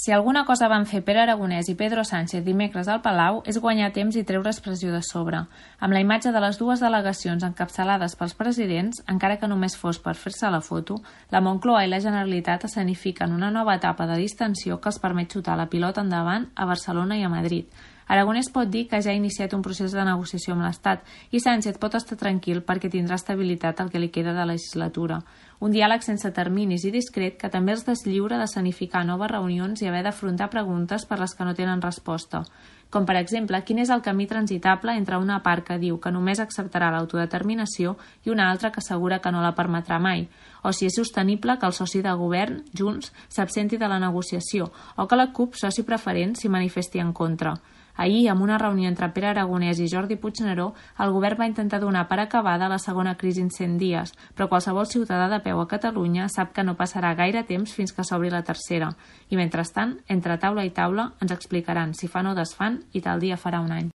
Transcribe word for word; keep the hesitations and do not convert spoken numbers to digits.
Si alguna cosa van fer Pere Aragonès i Pedro Sánchez dimecres al Palau és guanyar temps i treure expressió de sobre. Amb la imatge de les dues delegacions encapçalades pels presidents, encara que només fos per fer-se la foto, la Moncloa i la Generalitat escenifiquen una nova etapa de distensió que els permet xutar la pilota endavant a Barcelona i a Madrid. Aragonès pot dir que ja ha iniciat un procés de negociació amb l'Estat i Sánchez pot estar tranquil perquè tindrà estabilitat el que li queda de legislatura. Un diàleg sense terminis i discret que també els deslliura d'escenificar noves reunions i haver d'afrontar preguntes per les que no tenen resposta. Com per exemple, quin és el camí transitable entre una part que diu que només acceptarà l'autodeterminació i una altra que assegura que no la permetrà mai, o si és sostenible que el soci de govern, Junts, s'absenti de la negociació o que la CUP, soci preferent, s'hi manifesti en contra. Ahir, amb una reunió entre Pere Aragonès i Jordi Puigneró, el govern va intentar donar per acabada la segona crisi en cent dies, però qualsevol ciutadà de peu a Catalunya sap que no passarà gaire temps fins que s'obri la tercera. I mentrestant, entre taula i taula, ens explicaran si fan o desfan i tal dia farà un any.